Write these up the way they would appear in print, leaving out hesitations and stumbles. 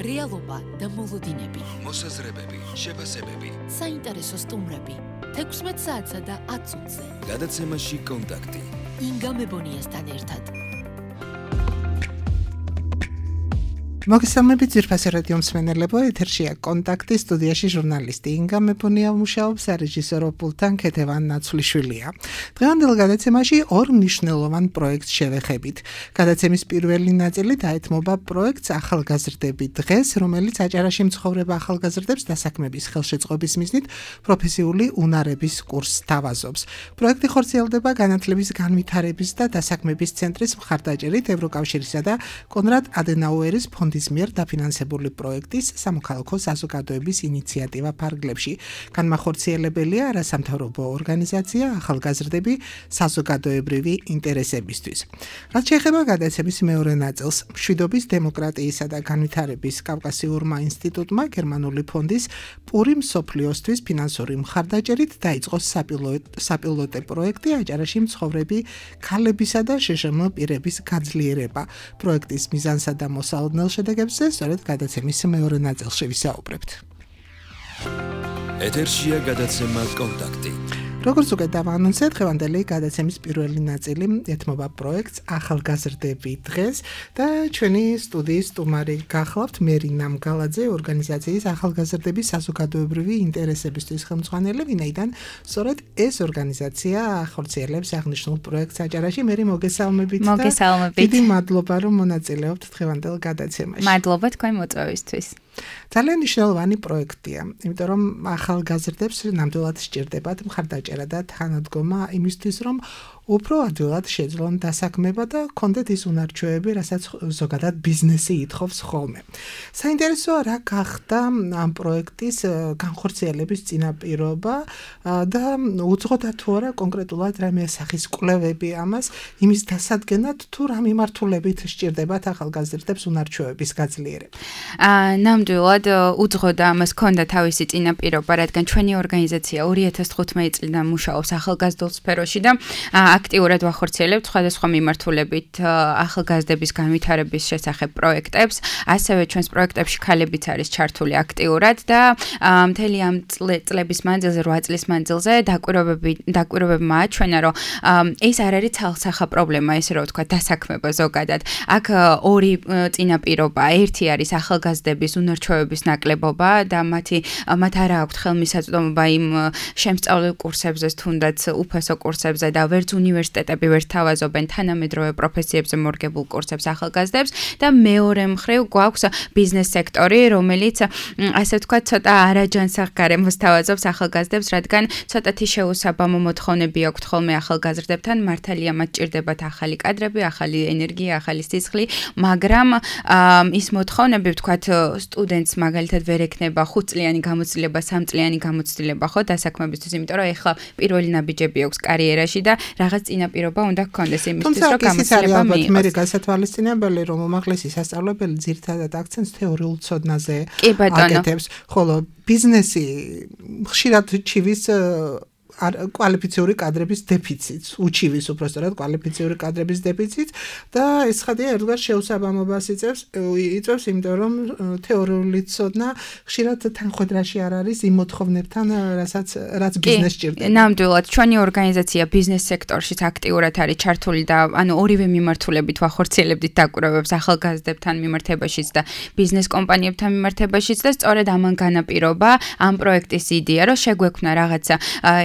რეალობა და მოლოდინები, მოსაზრებები, შეფასებები, საინტერესო სტუმრები, 16 საათსა და 10 წუთზე. გადაცემაში კონტაქტი. ინგა მებონიასთან ერთად. მოგესალმებით ძვირფასი რადიო მსმენელებო, ეთერშია კონტაქტი, სტუდიაში ჟურნალისტი ინგა მებონია მუშაობს, რეჟისორო პულტთან ქეთევან ნაცვლიშვილია. დღევანდელ გადაცემაში ორ მნიშვნელოვან პროექტს შევეხებით. გადაცემის პირველი ნაწილი დაეთმობა პროექტს ახალგაზრდები დღეს, რომელიც აჭარაში მცხოვრებ ახალგაზრდებს დასაქმების ხელშეწყობის მიზნით პროფესიული უნარების კურსს თავაზობს. პროექტი ხორციელდება განათლების განვითარების და დასაქმების ცენტრის მხარდაჭერით ევროკავშირისა და კონრად ადენაუერის ფონდის მიერ დაფინანსებული პროექტის სამოქალაქო საზოგადოების ინიციატივა ფარგლებში. განმახორციელებელია არასამთავრობო ორგანიზაცია ახალგაზრდები საზოგადოებრივი ინტერესებისთვის. რაც შეეხება გადაცემის მეორე ნაწილს, მშვიდობის, დემოკრატიისა და განვითარების კავკასიურმა ინსტიტუტმა გერმანული ფონდის პური მსოფლიოსთვის ფინანსური მხარდაჭერით დაიწყო საპილოტე პროექტი აჭარაში მცხოვრები ქალებისა და შეშმ პირების გაძლიერება. პროექტის მიზანსა და მოსალოდნელ შედეგებზე სწორედ გადაცემის მეორე ნაწილში ვისაუბრებთ. ეთერშია გადაცემა კონტაქტი. როგორც უკვე დავანონსეთ, დღევანდელი გადაცემის პირველი ნაწილი ეთმობა პროექტს ახალგაზრდები დღეს და ჩვენი სტუდიის სტუმარი გახლავთ მერინა მგალაძე, ორგანიზაციის ახალგაზრდების საზოგადოებრივი ინტერესებისთვის ხელმძღვანელი, ვინაიდან სწორედ ეს ორგანიზაცია ახორციელებს აღნიშნულ პროექტს აჭარაში. მერი, მოგესალმებით. მოგესალმებით. დიდი მადლობა, რომ მონაწილეობთ დღევანდელ გადაცემაში. მადლობა თქვენ მოწვევისთვის. ძალიან მნიშვნელოვანი პროექტია, იმიტომ რომ ახალგაზრდებს ნამდვილად სჭირდებათ მხარდაჭერა და თანადგომა იმისთვის, რომ უფრო ადვილად შეძლონ დასაქმება და კონდეთ ის უნარჩვევები, რასაც ზოგადად ბიზნესი ითხოვს ხოლმე. საინტერესოა, რა გახდა ამ პროექტის განხორციელების წინაპირობა და უძღოდა თუ არა კონკრეტულად რამე სახის კვლევები ამას, იმის დასადგენად თუ რა მიმართულებით სჭირდებათ ახალგაზრდებს უნარჩვევების გაძლიერება. ნამდვილად უძღოდა ამას ჰქონდა თავისი წინაპირობა, რადგან ჩვენი ორგანიზაცია 2015 წლიდან მუშაობს ახალგაზრდულ სფეროში და აქტიურად ვახორციელებთ სხვადასხვა მიმართულებით ახალგაზრდების განვითარების შესახებ პროექტებს, ასევე ჩვენს პროექტებში ქალებიც არის ჩართული აქტიურად და მთელი ამ წლების მანძილზე, 8 წლის მანძილზე დაკვირვებებმა აჩვენა, რომ ეს არ არის ცალსახა პრობლემა, ესე რომ ვთქვა, დასაქმება ზოგადად. აქ ორი წინაპირობა, ერთი არის ახალგაზრდების უნარჩვევების ნაკლებობა და მათ არ აქვთ ხელმისაწვდომობა იმ შემსწავლელ კურსებზე, თუნდაც უფასო კურსებზე და ვერც უნივერსიტეტები ვერ თავაზობენ თანამედროვე პროფესიებზე მორგებულ კურსებს ახალგაზრდებს და მეორე მხრივ გვაქვს ბიზნეს სექტორი, რომელიც ასე ვთქვათ, ცოტა არაჯანსაღ გარემოს თავაზობს ახალგაზრდებს, რადგან ცოტათი შეუსაბამო მოთხოვნები აქვთ ხოლმე ახალგაზრდებთან, მართალია მათ ჭირდებათ ახალი კადრები, ახალი ენერგია, ახალი სისხლი, მაგრამ ის მოთხოვნები ვთქვათ სტუდენტს მაგალითად ვერ ექნება 5 წლიანი გამოცდილება, 3 წლიანი გამოცდილება ხო დასაქმებისთვის, იმიტომ რომ ეხლა პირველი ნაბიჯები აქვს კარიერაში და რაღაც წინაპირობა უნდა გქონდეს იმისთვის, რომ გამოცდილება მიიღოს. მე გასათვალისწინებელი, რომ უმაღლესი სასწავლებელი ძირითადად აქცენტს თეორიულ ცოდნაზე აკეთებს, ხოლო ბიზნესი ხშირად ჩივის კვალიფიციური კადრების დეფიციტს, უჩივის უბრალოდ კვალიფიციური კადრების დეფიციტს და ეს ხადია ერთგვარ შეუსაბამობას იწევს, იმიტომ რომ თეორიული ცოდნა ხშირად თანხმდრაში არ არის იმ მოთხოვნებთან, რაც ბიზნესს ჭირდება. ნამდვილად, ჩვენი ორგანიზაცია ბიზნეს სექტორშიც აქტიურად არის ჩართული და ორივე მიმართულებით ვახორციელებდით დაკვირვებებს ახალგაზრდებთან მიმართებაშიც და ბიზნეს კომპანიებთან მიმართებაშიც და სწორედ ამან განაპირობა ამ პროექტის იდეა, რომ შეგვექმნა რაღაცა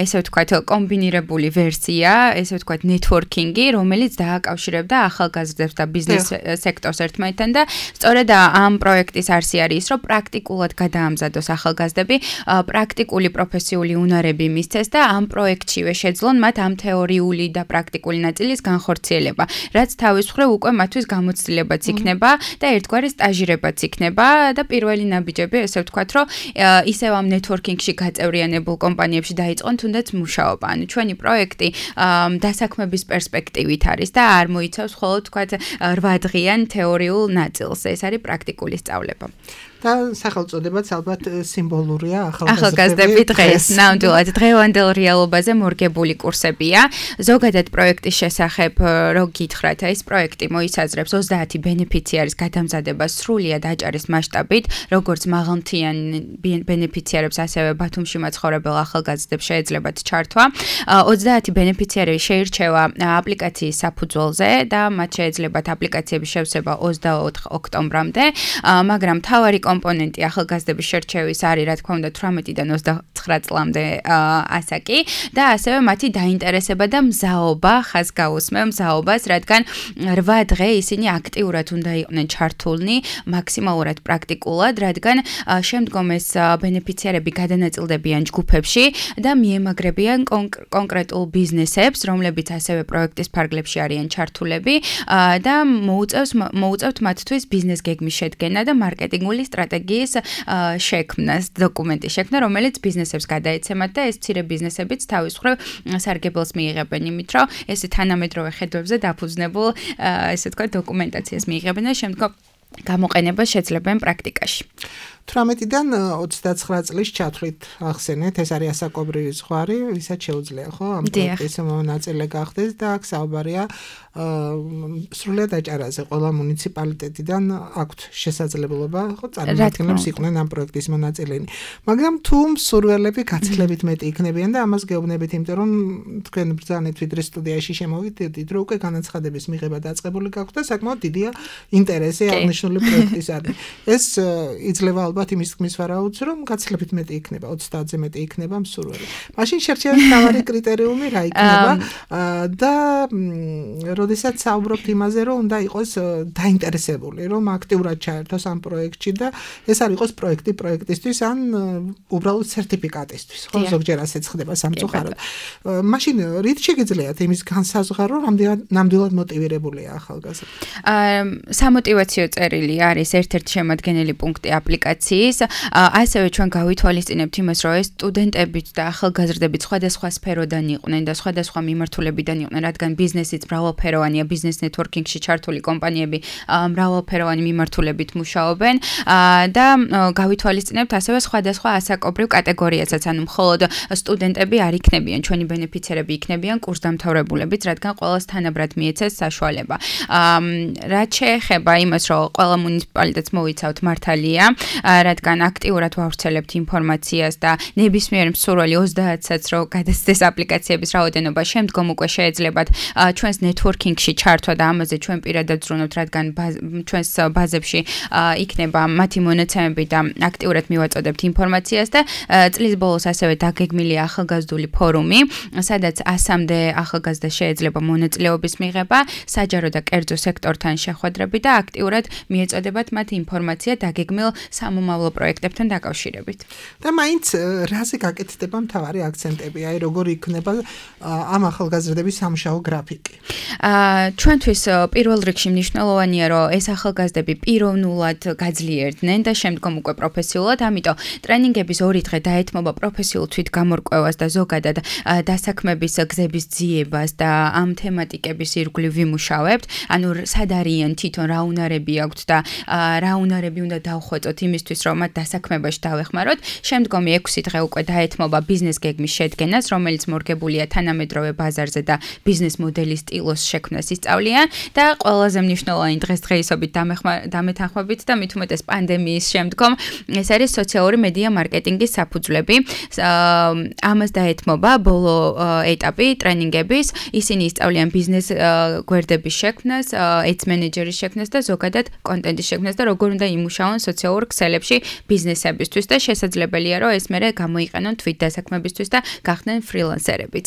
ესე ვთქვათ, კომბინირებული ვერსია, ესე ვთქვათ, ნეტვორკინგი, რომელიც დააკავშირებდა ახალგაზრდებს და ბიზნეს სექტორს ერთმანეთთან და სწორედ ამ პროექტის არსი არის ის, რომ პრაქტიკულად გადაამზადოს ახალგაზრდები, პრაქტიკული პროფესიული უნარები მისცეს და ამ პროექტშივე შეძლონ მათ ამ თეორიული და პრაქტიკული ნაწილის განხორციელება, რაც თავის მხრივ უკვე მათთვის გამოცდილებაც იქნება და ერთგვარი სტაჟირებაც იქნება და პირველი ნაბიჯები, ესე ვთქვათ, რომ ისევ ამ ნეტვორკინგში გაწევრიანებულ კომპანიებში დაიწყონ თუნდაც მუშაობა. ჩვენი პროექტი დასაქმების პერსპექტივით არის და არ მოიცავს მხოლოდ თქვათ 8 დღიან თეორიულ ნაწილს. ეს არის პრაქტიკული სწავლება. და სახელწოდებაც ალბათ სიმბოლურია ახალგაზრდები დღეს. ნამდვილად დღევანდელ რეალობაზე მორგებული კურსებია. ზოგადად პროექტის შესახებ რო გითხრათ, ეს პროექტი მოიცაზრებს 30 ბენეფიციარის გადამზადებას სრულიად აჭარის მასშტაბით, როგორც მაღალმთიან ბენეფიციარებს, ასევე ბათუმში მაცხოვრებელ ახალგაზრდებს შეეძლებათ ჩართვა. 30 ბენეფიციარი შეირჩევა აპლიკაციის საფუძველზე და მათ შეეძლებათ აპლიკაციების შევსება 24 ოქტომბრამდე, მაგრამ მთავარი კომპონენტი ახალგაზრდების შერჩევის არის, რა თქმა უნდა, 18-დან 29 წლამდე ასაკი და ასევე მათი დაინტერესება და მზაობა, ხაზ გაუსმევ მზაობას, რადგან 8 დღე ისინი აქტიურად უნდა იყვნენ ჩართულნი, მაქსიმალურად პრაქტიკულად, რადგან შემდგომ ეს ბენეფიციარები გადანაწილდებიან ჯგუფებში და მიემაგრებიან კონკრეტულ ბიზნესებს, რომლებიც ასევე პროექტის ფარგლებში არიან ჩართულები და მოუწევთ მათთვის ბიზნეს გეგმის შედგენა და მარკეტინგული სტრატეგიის შექმნას, დოკუმენტის შექმნა, რომელიც ბიზნესებს გადაეცემათ და ეს მცირე ბიზნესებიც თავის მხრივ სარგებელს მიიღებენ იმით, რომ ეს თანამედროვე ხედვებზე დაფუძნებულ, ესე ვთქვათ, დოკუმენტაციას მიიღებენ და შემდგომ გამოყენებას შეძლებენ პრაქტიკაში. 18-დან 29 წლის ჩათვლით ახსენეთ, ეს არის ასაკობრივი ზღვარი, ვისაც შეუძლია, ხო, ამ პროექტის მონაწილე გახდეს და აქ საუბარია სრულიად აჭარაზე, ყველა მუნიციპალიტეტიდან აქვთ შესაძლებლობა, ხო, წარმომადგენლებს იყვნენ ამ პროექტის მონაწილენი. მაგრამ თუ მსურველები გაცილებით მეტი იქნებიან და ამას გეუბნებით, იმიტომ რომ თქვენ ბრძანეთ ვიდრე სტუდიაში შემოვიდით, რომ უკვე განაცხადების მიღება დაწყებული გაქვთ და საკმაოდ დიდია ინტერესი აღნიშნული პროექტისადმი. ეს იძლევა ალბათ იმის თქმის ვარაუდს, რომ გაცილებით მეტი იქნება, 30-ზე მეტი იქნება მსურველი. მაშინ შერჩევის მთავარი კრიტერიუმი რა იქნება და როდესაც საუბრობთ იმაზე, რომ უნდა იყოს დაინტერესებული, რომ აქტიურად ჩაერთოს ამ პროექტში და ეს არ იყოს პროექტისთვის ან უბრალოდ სერტიფიკატისთვის, ხო, ზოგჯერ ასეც ხდება სამწუხაროდ. მაშინ რით შეგიძლიათ იმის განსაზღვრა, რომ ნამდვილად მოტივირებულია ახალგაზრდა? სამოტივაციო წერილი არის ერთ-ერთი შემადგენელი პუნქტი აპლიკაციის. ასევე ჩვენ გავითვალისწინებთ იმას, რომ ეს სტუდენტებიც და ახალგაზრდებით სხვადასხვა სფეროდან იყვნენ და სხვადასხვა მიმართულებიდან იყვნენ, რადგან ბიზნესიც მრავალფეროვანია, ბიზნეს ნეტვორკინგში ჩართული კომპანიები მრავალფეროვანი მიმართულებით მუშაობენ და გავითვალისწინებთ ასევე სხვადასხვა ასაკობრივ კატეგორიასაც, ანუ მხოლოდ სტუდენტები არ იქნებიან, ჩვენი ბენეფიციარები იქნებიან კურსდამთავრებულებიც, რადგან ყველას თანაბრად მიეცეს საშუალება. რაც შეეხება იმას, რომ ყველა მუნიციპალიტეტს მოიცავთ მართალია, რადგან აქტიურად ვავრცელებთ ინფორმაციას და ნებისმიერ მსურველი 30-საც რო გადასცეს აპლიკაციების რაოდენობა, შემდგომ უკვე შეეძლებათ ჩვენს ნეტვორკინგში ჩართვა და ამაზე ჩვენ პირადად ვზრუნავთ, რადგან ჩვენს ბაზებში იქნება მათი მონაცემები და აქტიურად მივაწოდებთ ინფორმაციას და წლის ბოლოს ასევე დაგეგმილია ახალგაზრდული ფორუმი, სადაც 100-მდე ახალგაზრდა შეეძლება მონაწილეობის მიღება, საჯარო და კერძო სექტორთან შეხვედრები და აქტიურად მიეწოდებათ მათ ინფორმაცია დაგეგმილ სამომავლო პროექტებთან დაკავშირებით. და მაინც რაზე გაკეთდება მთავარი აქცენტები, აი როგორ იქნება ამ ახალგაზრდების სამუშაო გრაფიკი? ჩვენთვის პირველ რიგში მნიშვნელოვანია, რომ ეს ახალგაზრდები პიროვნულად გაძლიერდნენ და შემდგომ უკვე პროფესიულად, ამიტომ ტრენინგების 2 დღე დაეთმობა პროფესიულ თვითგამორკვევას და ზოგადად დასაქმების გზების ძიებას და ამ თემატიკების ირგვლივ ვიმუშავებთ. ანუ სად არიან თვითონ რა უნარები აქვთ და რა უნარები უნდა დავხვეწოთ იმისთვის, რომ მათ დასაქმებაში დავეხმაროთ. შემდგომი 6 დღე უკვე დაეთმობა ბიზნეს გეგმის შედგენას, რომელიც მორგებულია თანამედროვე ბაზარზე და ბიზნეს მოდელის სტილოს შექმნას ისწავლიან და ყველაზე მნიშვნელოვანი დღესდღეობით დამეთანხმებით და მით უმეტეს პანდემიის შემდგომ ეს არის სოციალური მედია მარკეტინგის საფუძვლები. ამას დაეთმობა ბოლო ეტაპი ტრენინგების, ისინი ისწავლიან ბიზნეს გვერდების შექმნას, ads მენეჯერის შექმნას და ზოგადად კონტენტის შექმნას და როგორ უნდა იმუშაონ სოციალურ ქსელებში ბიზნესებისთვის და შესაძლებელია, რომ ეს მერე გამოიყენონ თვით დასაქმებისთვის და გახდნენ ფრილანსერებიც.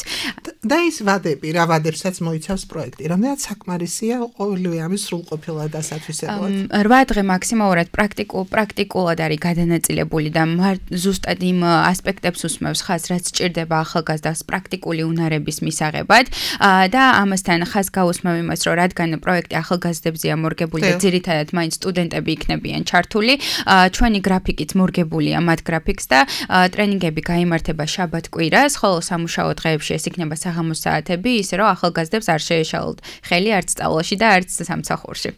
და ის ვადები, რა ვადებსაც მოიცავს პროექტი, რამდენად საკმარისია ყოველივე ამის სრულყოფილად დასათვისებლად? 8 დღე მაქსიმალურად პრაქტიკულად არის გადანაწილებული და ზუსტად იმ ასპექტებს უსმევს ხაზს, რაც სჭირდება ახალგაზრდას პრაქტიკული უნარების მისაღებად და ამასთან ხაზს გაუსმევ იმას, რომ რადგან პროექტი ახალგაზრდებზეა მორგებული და ძირითადად მაინც სტუდენტები იქნებიან ჩართული, ჩვენი გრაფიკიც მორგებულია მათ გრაფიკს და ტრენინგები გაიმართება შაბათ-კვირას, ხოლო სამუშაო დღეებში ეს იქნება საღამოს საათები, ისე რომ ახალგაზრდებს არ შეეშალოთ ხელი არც სწავლაში და არც სამსახურში.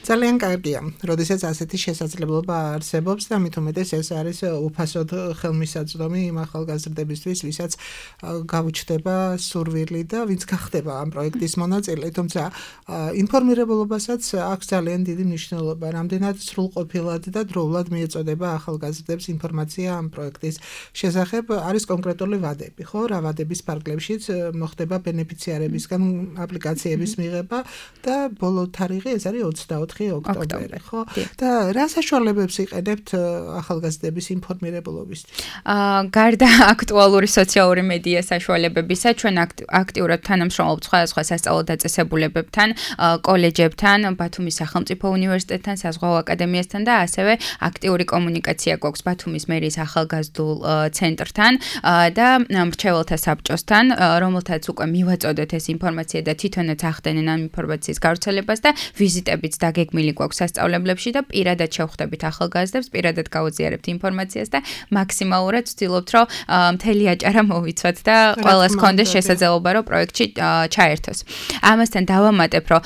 ძალიან კარგია, როდესაც ასეთი შესაძლებლობა არსებობს და მით უმეტეს ეს არის უფასოდ ხელმისაწვდომი იმ ახალგაზრდებისთვის, ვისაც გაუჩნდება სურვილი და ვინც გახდება ამ პროექტის მონაწილე, თუმცა ინფორმირებულობასაც აქვს ძალიან დიდი მნიშვნელობა, რამდენად სრულყოფილად და დროულად მიეწოდება ახალგაზრდებს ინფორმაცია ამ პროექტის შესახებ, არის კონკრეტული ვადები, ხო? რა ვადების ფარგლებშიც მოხდება ბენეფიციარებისგან აპლიკაციების მიღება და ბოლო თარიღი ეს არის 24 ოქტომბერი, ხო? და რა საშუალებებს იყენებთ ახალგაზრდების ინფორმირებულობისთვის? გარდა აქტუალური სოციალური მედია საშუალებებისა, ჩვენ აქტიურად თანამშრომლობთ სხვადასხვა სასწავლო დაწესებულებებთან, კოლეჯებთან, ბათუმის სახელმწიფო უნივერსიტეტთან, საზღვაო აკადემიასთან და ასევე აქტიური კომუნიკაცია გვაქვს ბათუმის მერის ახალგაზრდულ ცენტრთან და მრჩეველთა საბჭოსთან, რომელთაც უკვე მივაწოდეთ ეს ინფორმაცია და თვითონაც ახდენენ ამ ინფორმაციის გავრცელებას და ვიზიტებიც დაგეგმილი გვაქვს სასწავლებლებში და პირადად შევხვდებით ახალგაზრდებს, პირადად გავუზიარებთ ინფორმაციას და მაქსიმალურად ვცდილობთ, რომ მთელი აჭარა მოვიცვათ და ყველას გქონდეს შესაძლებლობა, რომ პროექტში ჩაერთოს. ამასთან დავამატებ, რომ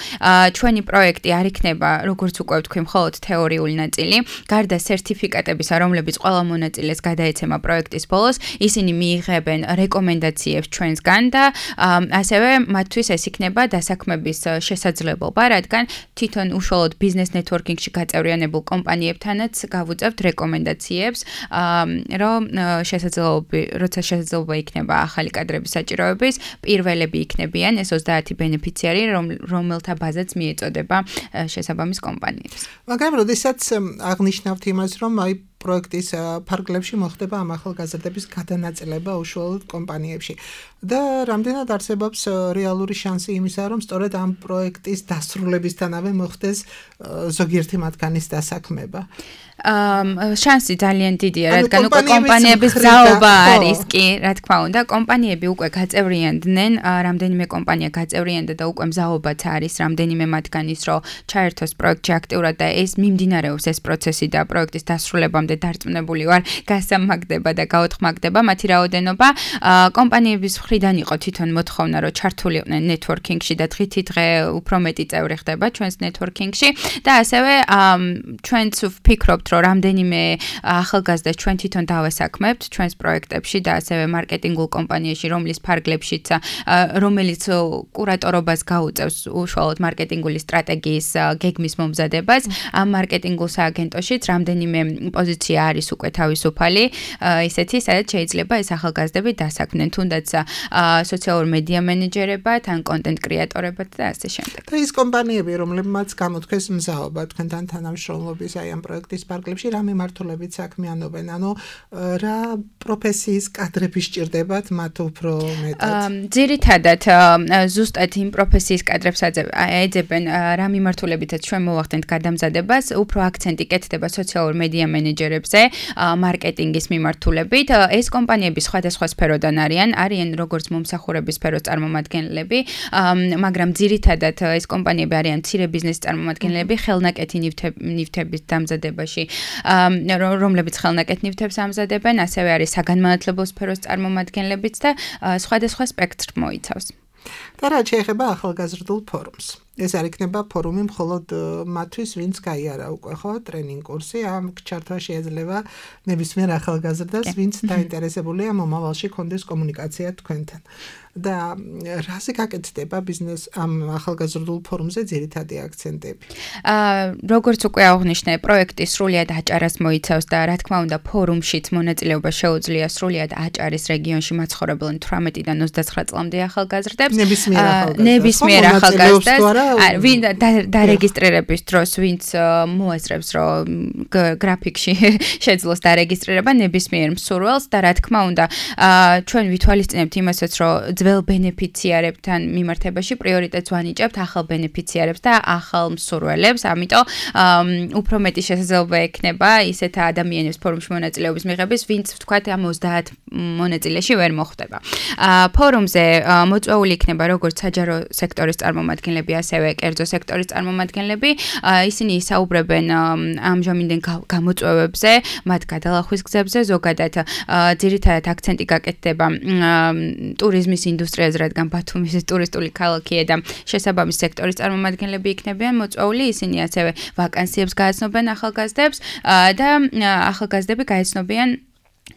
ჩვენი პროექტი არ იქნება, როგორც უკვე ვთქვი, მხოლოდ თეორიული ნაწილი, გარდა სერტიფიკატებისა, რომლებიც ყველა მონაწილეს გადაეცემა პროექტის ბოლოს, ისინი მიიღებენ რეკომენდაციებს ჩვენსგან და ასევე მათთვის ეს იქნება დასაქმების შესაძლებლობა, რადგან თვითონ უშუალოდ ბიზნეს ნეტვორკინგში გაწევრიანებულ კომპანიებთანაც გავუწევთ რეკომენდაციებს, რომ როცა შესაძლებლობა იქნება ახალი კადრების საჭიროების, პირველები იქნებიან ეს 30 ბენეფიციარი, რომელთა ბაზაც მიეწოდება შესაბამის კომპანიებს. მაგრამ როდესაც აღნიშნავთ იმას, რომ აი პროექტის ფარგლებში მოხდება ამ ახალგაზრდების გადანაწილება უშუალოდ კომპანიებში და რამდენად არსებობს რეალური შანსი იმისა, რომ სწორედ ამ პროექტის დასრულებისთანავე მოხდეს ზოგიერთი მათგანის დასაქმება? შანსი ძალიან დიდია, რადგან უკვე კომპანიების ძალობა არის კი, რა თქმა უნდა, კომპანიები უკვე გაწევრიანდნენ, რამდენიმე კომპანია გაწევრიანდა და უკვე მზაობაც არის რამდენიმე მათგანის, რომ ჩაერთოს პროექტში აქტიურად და ეს მიმდინარეობს ეს პროცესი და პროექტის დასრულებამდე დარწმუნებული ვარ, გასამაგდება და გაოთხმაგდება მათი რაოდენობა. კომპანიების მხრიდან იყო თვითონ მოთხოვნა, რომ ჩართულიყვნენ ნეტვორკინგში და დღითიდღე უფრო მეტი წევრი ხდება ჩვენს ნეტვორკინგში და ასევე ჩვენც ვფიქრობთ, რომ რამდენიმე ახალგაზრდას ჩვენ თვითონ დავასაქმებთ ჩვენს პროექტებში და ასევე მარკეტინგულ კომპანიაში, რომლის ფარგლებშიც რომელიც კურატორობას გაუწევს უშუალოდ მარკეტინგული სტრატეგიის გეგმის მომზადებას, ამ მარკეტინგულ სააგენტოშიც რამდენიმე პოზიცია არის უკვე თავისუფალი, ისეთი, სადაც შეიძლება ეს ახალგაზრდები დასაქმდნენ, თუნდაც სოციალურ მედია მენეჯერებად, ან კონტენტ კრეატორებად და ასე შემდეგ. და ის კომპანიები, რომლებმაც გამოთქვეს მზაობა თქვენთან თანამშრომლობის აი ამ პროექტის ფარგლებში, რა მიმართულებით საქმიანობენ? ანუ რა პროფესიის კადრები სჭირდებათ მათ უფრო მეტად? ძირითადად ზუსტად იმ პროფესიის კადრებს ეძებენ, რა მიმართულებითაც ჩვენ მოვახდენთ გადამზადებას, უფრო აქცენტი კეთდება სოციალურ მედია მენეჯერებზე, მარკეტინგის მიმართულებით. ეს კომპანიები სხვადასხვა სფეროდან არიან როგორც მომსახურების სფეროს წარმომადგენლები, მაგრამ ძირითადად ეს კომპანიები არიან მცირე ბიზნესის წარმომადგენლები, ხელნაკეთი ნივთების დამზადებაში, რომლებიც ხელნაკეთ ნივთებს ამზადებენ, ასევე არის საგანმანათლებლო სფეროს წარმომადგენლებიც და სხვადასხვა სპექტრს მოიცავს. და რა შეეხება ახალგაზრდულ ფორუმს? ეს არ იქნება ფორუმი მხოლოდ მათთვის, ვინც გაიარა უკვე ხო ტრენინგ კურსი, ამ ჩართვა შეიძლება ნებისმიერ ახალგაზრდას, ვინც დაინტერესებულია მომავალში კონდეს კომუნიკაცია თქვენთან. და რაზე გაკეთდება ბიზნეს ამ ახალგაზრდულ ფორუმზე ძირითადი აქცენტები? როგორც უკვე აღნიშნე, პროექტი სრულიად აჭარას მოიცავს და რა თქმა უნდა ფორუმშიც მონაწილეობა შეუძლია სრულიად აჭარის რეგიონში მაცხოვრებელ 18-დან 29 წლამდე ახალგაზრდებს. ნებისმიერ ახალგაზრდას, ვინ დარეგისტრირების დროს, ვინც მოასწრებს, რომ გრაფიკში შეძლოს დარეგისტრირება ნებისმიერ მსურველს და რა თქმა უნდა, ჩვენ ვითვალისწინებთ იმასაც, რომ ძველ ბენეფიციარებთან მიმართებაში პრიორიტეტს ვანიჭებთ ახალ ბენეფიციარებს და ახალ მსურველებს, ამიტომ უფრო მეტი შესაძლებლობა ექნება ისეთ ადამიანებს ფორუმში მონაწილეობის მიღების, ვინც ვთქვათ ამ 30 მონაწილეში ვერ მოხვდება. ფორუმზე მოწვეული იქნება როგორც საჯარო სექტორის წარმომადგენლები, ასევე კერძო სექტორის წარმომადგენლები. Ისინი ისაუბრებენ ამჟამინდელ გამოწვევებზე, მათ გადალახვის გზებზე, ზოგადად ძირითადად აქცენტი გაკეთდება ტურიზმის ინდუსტრიაზე, რადგან ბათუმი ტურისტული ქალაქია და შესაბამის სექტორის წარმომადგენლები იქნებიან მოწვეული. ისინი ასევე ვაკანსიებს გააცნობენ ახალგაზრდებს და ახალგაზრდები გაეცნობიან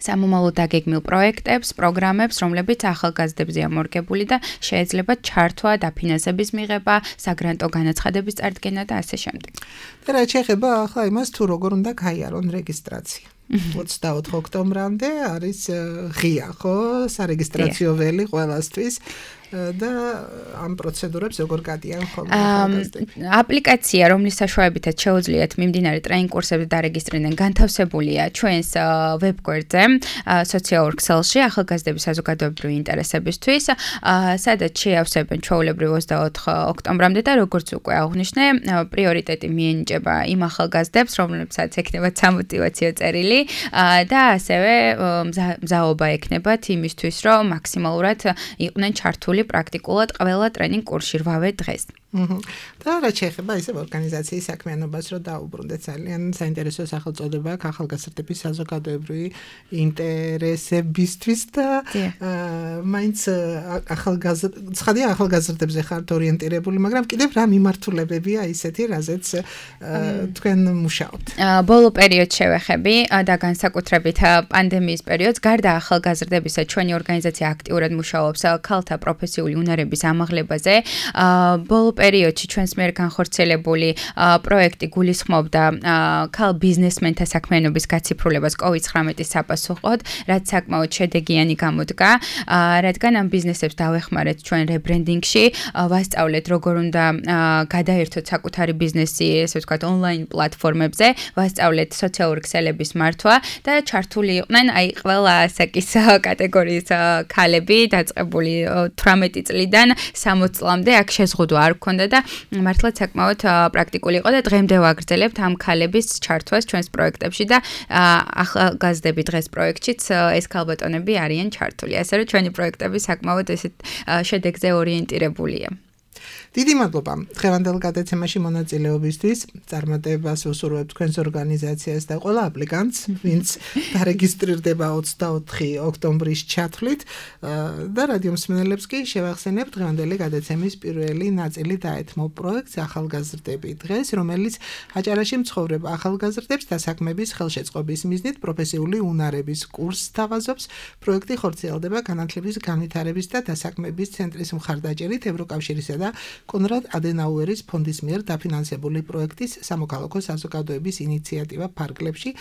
სამომავლო დაგეგმილ პროექტებს, პროგრამებს, რომლებიც ახალგაზრდებზეა მორგებული და შეიძლება ჩართვა, დაფინანსების მიღება, საგრანტო განაცხადების წარდგენა და ასე შემდეგ. და რა შეეხება ახლა იმას, თუ როგორ უნდა გაიარონ რეგისტრაცია. 24 ოქტომბრამდე არის ღია, ხო, სარეგისტრაციო ველი ყველასთვის. და ამ პროცედურებს როგორ გადიან ხოლმე ახალგაზრდები? აპლიკაცია, რომლის საშუალებითაც შეუძლიათ მიმდინარე ტრეინინგ კურსებზე დარეგისტრირდნენ, განთავსებულია ჩვენს ვებგვერდზე, Social Excel-ში ახალგაზრდების საზოგადოებრივი ინტერესებისთვის, სადაც შეავსებენ ჩვეულებრივ 24 ოქტომბრამდე და როგორც უკვე აღვნიშნე, პრიორიტეტი მიენიჭება იმ ახალგაზრდებს, რომლებსაც ექნებათ სამოტივაციო წერილი და ასევე მზაობა ექნებათ იმისთვის, რომ მაქსიმალურად იყვნენ ჩართული პრაქტიკულად ყველა ტრეინინგ კურსში 8 დღეს. და რა შეეხება ისე ორგანიზაციის საქმიანობას, რომ დაუბრუნდეთ ძალიან საინტერესო სახელწოდება აქვს ახალგაზრდების საზოგადოებრივი ინტერესებისთვის და მაინც ახალგაზრდებზე ხართ ორიენტირებული, მაგრამ კიდევ რა მიმართულებებია ისეთი, რაზეც თქვენ მუშაობთ? ბოლო პერიოდს შევეხები და განსაკუთრებით პანდემიის პერიოდს, გარდა ახალგაზრდებისა, ჩვენი ორგანიზაცია აქტიურად მუშაობს ქალთა პროფესიული უნარების ამაღლებაზე. ბოლო პერიოდში ჩვენს მიერ განხორციელებული პროექტი გულისხმობდა ქალ ბიზნესმენთა საქმიანობის გაციფრულებას COVID-19-ის საპასუხოდ, რაც საკმაოდ შედეგიანი გამოდგა, რადგან ამ ბიზნესებს დავეხმარეთ ჩვენ რებრენდინგში, ვასწავლეთ როგორ უნდა გადაერთოთ საკუთარი ბიზნესი, ესე ვთქვათ, ონლაინ პლატფორმებზე, ვასწავლეთ სოციალური ქსელების მართვა და ჩართული იყვნენ აი ყველა ასაკის კატეგორიის ქალები, დაწყებული 18 წლიდან 60 წლამდე. აქ შეზღუდვა არ გქონდა და მართლაც საკმაოდ პრაქტიკული იყო და დღემდე ვაგრძელებთ ამ ქალების ჩართვას ჩვენს პროექტებში და ახალგაზრდები დღეს პროექტშიც ეს ქალბატონები არიან ჩართული. ასე რომ ჩვენი პროექტები საკმაოდ ესეთ შედეგზე ორიენტირებულია. დიდი მადლობა დღევანდელ გადაცემაში მონაწილეობისთვის. წარმატებას ვუსურვებთ თქვენს ორგანიზაციას და ყველა აპლიკანტს, ვინც დარეგისტრირდება 24 ოქტომბრის ჩათვლით და რადიო მსმენელებს კი შევახსენებ დღევანდელი გადაცემის პირველი ნაწილი დაეთმო პროექტს ახალგაზრდები დღეს, რომელიც აჭარაში მცხოვრებ ახალგაზრდებს დასაქმების ხელშეწყობის მიზნით პროფესიული უნარების კურსს თავაზობს. პროექტი ხორციელდება განათლების განვითარების და დასაქმების ცენტრის მხარდაჭერით ევროკავშირისა და კონრად ადენაუერის ფონდის მიერ დაფინანსებული პროექტის სამოქალაქო საზოგადოების ინიციატივა ფარგლებში.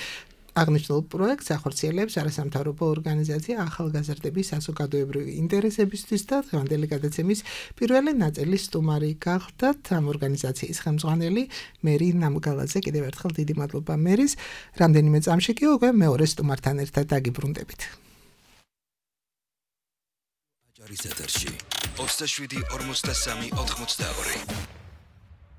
აღნიშნულ პროექტს ახორციელებს არასამთავრობო ორგანიზაცია ახალგაზრდების საზოგადოებრივი ინტერესებისთვის და დღევანდელი გადაცემის პირველი ნაწილის სტუმარი გახდათ ამ ორგანიზაციის ხელმძღვანელი მერი ნამგალაძე. კიდევ ერთხელ დიდი მადლობა მერის. რამდენიმე წამში კი უკვე მეორე სტუმართან ერთად დაგიბრუნდებით. აჭარის ეთერში 27-43-82.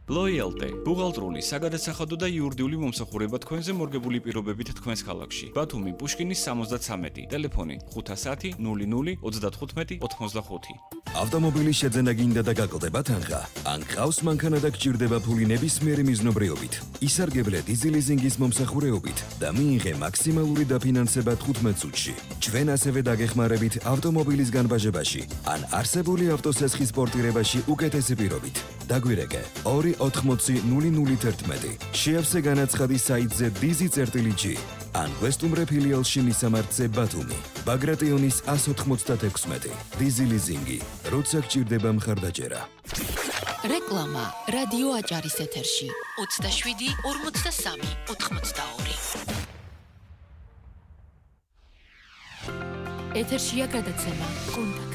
Loyalty ბუღალტრული, საგადასახადო და იურიდიული მომსახურება თქვენზე მორგებული პირობებით თქვენს ქალაქში. ბათუმი პუშკინის 73, ტელეფონი 510 00 35 85. ავტომობილის შეძენა გინდა და გაკლდება თანხა? ან ყავს მანქანა და გჭირდება ფული ნებისმიერი მიზნობრიობით? ისარგებლე დიზელიზინგის მომსახურეობით და მიიღე მაქსიმალური დაფინანსება 15 წუთში. ჩვენ ასევე დაგეხმარებით ავტომობილის განბაჟებაში ან არსებული ავტოსესხის პორტირებაში უკეთესი პირობით. დაგვირეკე 280-001. შეავსე განაცხადი საიტზე dizi.g ან გვესტუმრე ფილიალში მისამართზე ბათუმი, ბაგრატიონის 196. დიზელიზინგი, როცა გჭირდება მხარდაჭერა. რეკლამა რადიო აჭარის ეთერში 27-43-82. ეთერშია გადაცემა კონტაქტი.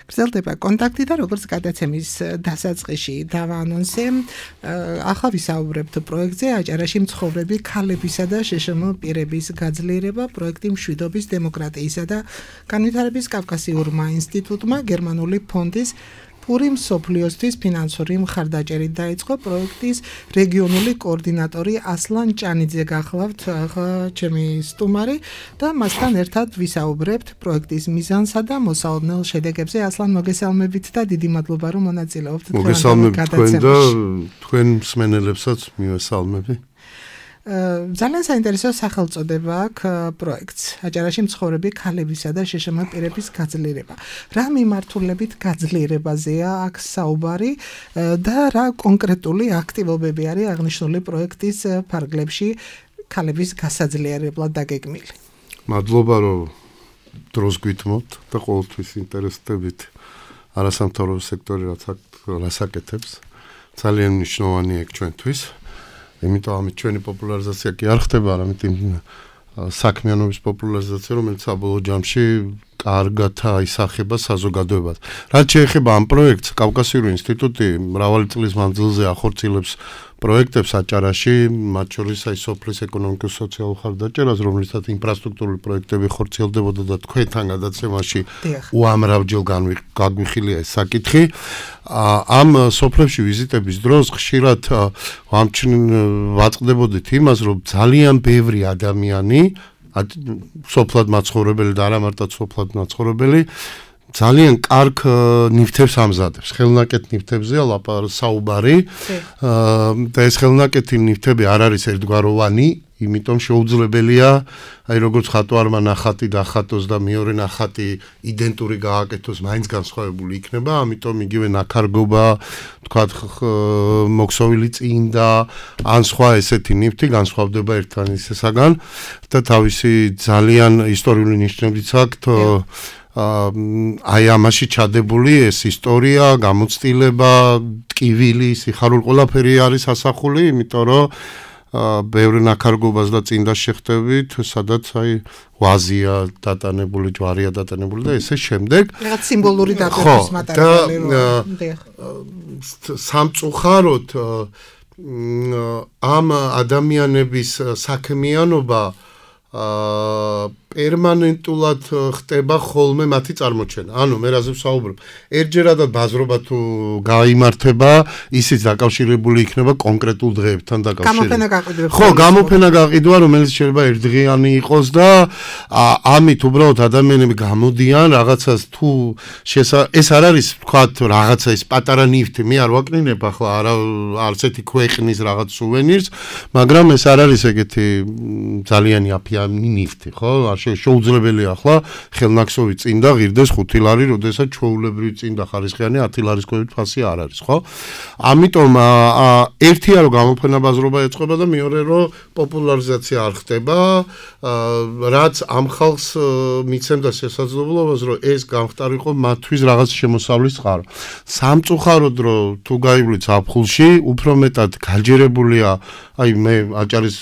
გრძელდება კონტაქტი და როგორც გადაცემის დასაწყისში დავაანონსე, ახლა ვისაუბრებთ პროექტზე აჭარაში მცხოვრები ქალებისა და შეშმ პირების გაძლიერება. პროექტი მშვიდობის, დემოკრატიისა და განვითარების კავკასიურმა ინსტიტუტმა, გერმანული ფონდის პური მსოფლიოსთვის ფინანსური მხარდაჭერით დაიწყო პროექტის რეგიონული კოორდინატორი ასლან ჭანიძე გახლავთ ჩემი სტუმარი და მასთან ერთად ვისაუბრებთ პროექტის მიზანსა და მოსალოდნელ შედეგებზე. ასლან, მოგესალმებით და დიდი მადლობა რომ მონაწილეობთ მოგესალმებით თქვენ და თქვენ მსმენელებსაც მივესალმები. ძალიან საინტერესო სახელწოდება აქვს პროექტს. აჭარაში მცხოვრები ქალებისა და შეშმ პირების გაძლიერება. რა მიმართულებით გაძლიერებაზეა აქ საუბარი და რა კონკრეტული აქტივობები არის აღნიშნული პროექტის ფარგლებში ქალების გასაძლიერებლად დაგეგმილი? მადლობა რომ დროს გვითმობთ და ყოველთვის ინტერესდებით არასამთავრობო სექტორი რაც აკეთებს. ძალიან მნიშვნელოვანია ეგ ჩვენთვის. იმიტომ ამით ჩვენი პოპულარიზაცია კი არ ხდება, არამედ საქმიანობის პოპულარიზაცია, რომელიც საბოლოო ჯამში კარგად აისახება საზოგადოებას. რაც შეეხება ამ პროექტს, კავკასიური ინსტიტუტი მრავალი წლის მანძილზე ახორციელებს პროექტებს აჭარაში, მათ შორის სოფლის ეკონომიკურ-სოციალურ ხარდაჭერას, რომლითაც ინფრასტრუქტურული პროექტები ხორციელდებოდა და თქვენთან გადაცემაში უამრავჯერ გაგვიხილია ეს საკითხი. ამ სოფლებში ვიზიტების დროს ხშირად ვაწყდებოდით იმას, რომ ძალიან ბევრი ადამიანი სოფლად მაცხოვრებელი და არა მარტო სოფლად მაცხოვრებელი ძალიან კარგ ნივთებს ამზადებს. ხელნაკეთ ნივთებზეა საუბარი და ეს ხელნაკეთი ნივთები არ არის ერთგვაროვანი, იმიტომ შეუძლებელია აი როგორც ხატვარმა ნახატი დახატოს და მეორე ნახატი იდენტური გააკეთოს, მაინც განსხვავებული იქნება, ამიტომ იგივე ნაქარგობა, თქვათ მოქსოვილი წინდა, ან სხვა ესეთი ნივთი განსხვავდება ერთმანეთისაგან და თავისი ძალიან ისტორიული ნიშნებიც აქვთ. აი ამაში ჩადებული ეს ისტორია, გამოცდილება, ტკივილი, სიხარული ყველაფერი არის ასახული, იმიტომ რომ ბევრი ნაქარგობას და წინდას შეხტებით, სადაც აი ვაზია დატანებული, ჯვარია დატანებული და ესე შემდეგ. რაღაც სიმბოლური დატვირთვის მატერიალი რო. სამწუხაროდ ამ ადამიანების საქმიანობა პერმანენტულად ხდება ხოლმე მათი წარმოჩენა. ანუ მე რაზე ვსაუბრობ? ერთჯერადად ბაზრობა თუ გაიმართება, ისიც დაკავშირებული იქნება კონკრეტულ დღეებთან დაკავშირებით. გამოფენა გაყიდვება. ხო, გამოფენა გაყიდვა, რომელიც შეიძლება ერთდღიანი იყოს და ამით უბრალოდ ადამიანები გამოდიან რაღაცას თუ ეს არ არის თქვათ რაღაცა ის პატარა ნივთი, მე არ ვაკნინებ ახლა არც ერთი ქვეყნის რაღაც სუვენირს, მაგრამ ეს არ არის ეგეთი ძალიან აფიანი ნივთი, ხო? შეუძლებელია ახლა ხელნაქსოვი წინდა ღირდეს 5 ლარი, როდესაც ჩვეულებრივი წინდა ხარისხიანი 10 ლარის ქვევით ფასი არ არის, ხო? ამიტომ ერთია რომ გამოფენა ბაზრობა ეწყობა და მეორე რომ პოპულარიზაცია არ ხდება, რაც ამ ხალხს მიცემდა შესაძლებლობას, რომ ეს გამختارიყო მათთვის რაღაც შემოსავლის წყარო. სამწუხაროდ რომ თუ გაივლით ზაფხულში, უფრო მეტად გაჯერებულია, აი მე აჭარის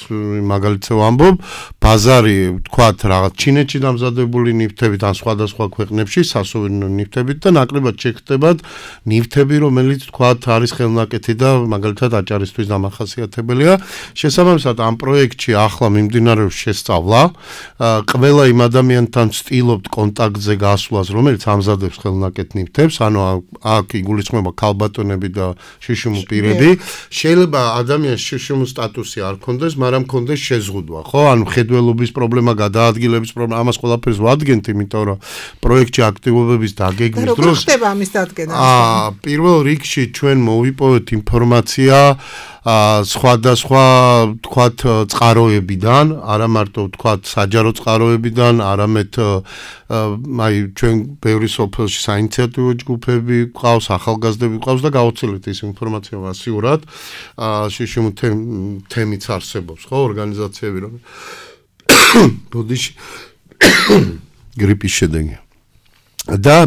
მაგალითზე ვამბობ, ბაზარი თქვათ რაღაც ჩინეთში დამზადებული ნივთებით ან სხვადასხვა ქვეყნებში სასოვინო ნივთებით და ნაკლებად შეგხდებათ ნივთები, რომელიც თქვათ არის ხელნაკეთი და მაგალითად აჭარისთვის დამახასიათებელია. შესაბამისად ამ პროექტში ახლა მიმდინარეობს შესწავლა. ყველა იმ ადამიანთან ვცდილობთ კონტაქტზე გასვლას, რომელიც ამზადებს ხელნაკეთ ნივთებს, ანუ აქ იგულისხმება ქალბატონები და შიშუმ პირები. შეიძლება ადამიანს შიშუმ სტატუსი არ ქონდეს, მაგრამ ქონდეს შეზღუდვა, ხო? ანუ ხედველობის პრობლემა, გადაადგილების პრობლემა, ამას ყველაფერს ვადგენთ, იმიტომ რომ პროექტში აქტივობების დაგეგმვის დროს როგორ ხდება ამის დადგენა? პირველ რიგში ჩვენ მოვიპოვეთ ინფორმაცია სხვადასხვა თქვათ წყაროებიდან, არა მარტო თქვათ საჯარო წყაროებიდან, არამედ აი ჩვენ ბევრი სოფელში საინიციატივო ჯგუფები გვყავს, ახალგაზრდები გვყავს და გავოცილეთ ეს ინფორმაცია მასიურად. შიშუმ თემიც არსებობს, ხო, ორგანიზაციები რომ ბოდიში გრიპის შედეგი. და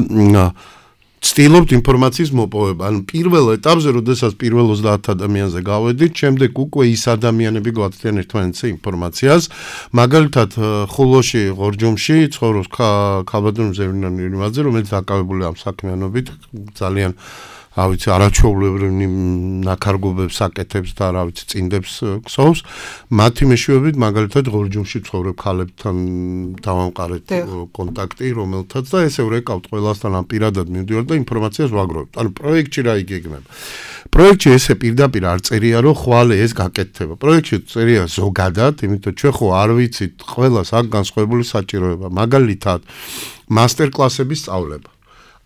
ვცდილობთ ინფორმაციის მოპოვება. ანუ პირველ ეტაპზე, როდესაც პირველ 30 ადამიანზე გავედით, შემდეგ უკვე ის ადამიანები გვაწვდიან ერთმანეთზე ინფორმაციას. მაგალითად, ხულოში, ღორჯომში ცხოვრობს ქალბატონი ზევნანი ირიმაძე, რომელიც დაკავებულია ამ საქმიანობით, ძალიან რა ვიცი, არაჩვეულებრივი ნაქარგობებს აკეთებს და რა ვიცი, წინდებს ქსოვს, მათი მეშვეობით მაგალითად ღორჯომში ცხოვრებ ქალებთან დავამყარეთ კონტაქტი, რომელთაც და ესე ვრეკავთ ყველასთან ამ პირადად მივდივართ და ინფორმაციას ვაგროვებთ. ანუ პროექტში რა იგეგმება? პროექტში ესე პირდაპირ არ წერია, რომ ხვალე ეს გაკეთდება. პროექტში წერია ზოგადად, იმიტომ ჩვენ ხო არ ვიცით ყველას აქ განსხვავებული საჭიროება. მაგალითად, მასტერკლასების სწავლება.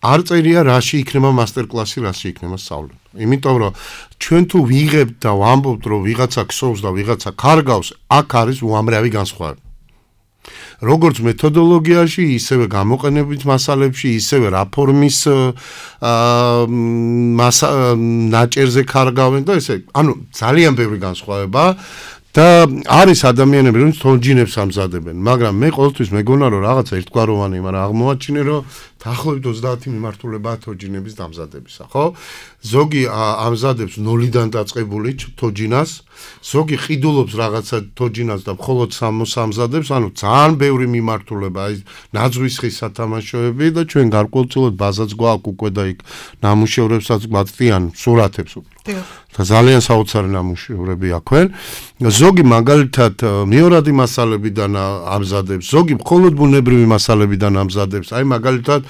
არ წერია რაში იქნება მასტერკლასი, რაში იქნება სწავლება. იმიტომ რომ ჩვენ თუ ვიღებთ და ვამბობთ, რომ ვიღაცა ქსოვს და ვიღაცა კარგავს, აქ არის უამრავი განსხვავება. როგორც მეთოდოლოგიაში, ისევე გამოყენებით მასალებში, ისევე რა ფორმის ნაჭერზე კარგავენ და ესე, ანუ ძალიან ბევრი განსხვავება და არის ადამიანები, რომლებიც თონჯინებს ამზადებენ, მაგრამ მე ყოველთვის მეგონა რომ რაღაცა ერთგვაროვანი, მაგრამ აღმოაჩინე რომ დაახლოებით 30 მიმართულებაა თოჯინების დამზადებისა, ხო? ზოგი ამზადებს 0-დან დაწყებული თოჯინას, ზოგი ყიდულობს რაღაცა თოჯინას და მხოლოდ ამზადებს, ანუ ძალიან ბევრი მიმართულება, აი ნაძვის ხის სათამაშოები და ჩვენ გარკვეულწილად ბაზაც გვაქვს უკვე და იქ ნამუშევრებსაც გვაწვდიან სურათებს უკვე. და ძალიან საოცარი ნამუშევრები აქვენ. ზოგი მაგალითად მეორადი მასალებიდან ამზადებს, ზოგი მხოლოდ ბუნებრივი მასალებიდან ამზადებს. აი მაგალითად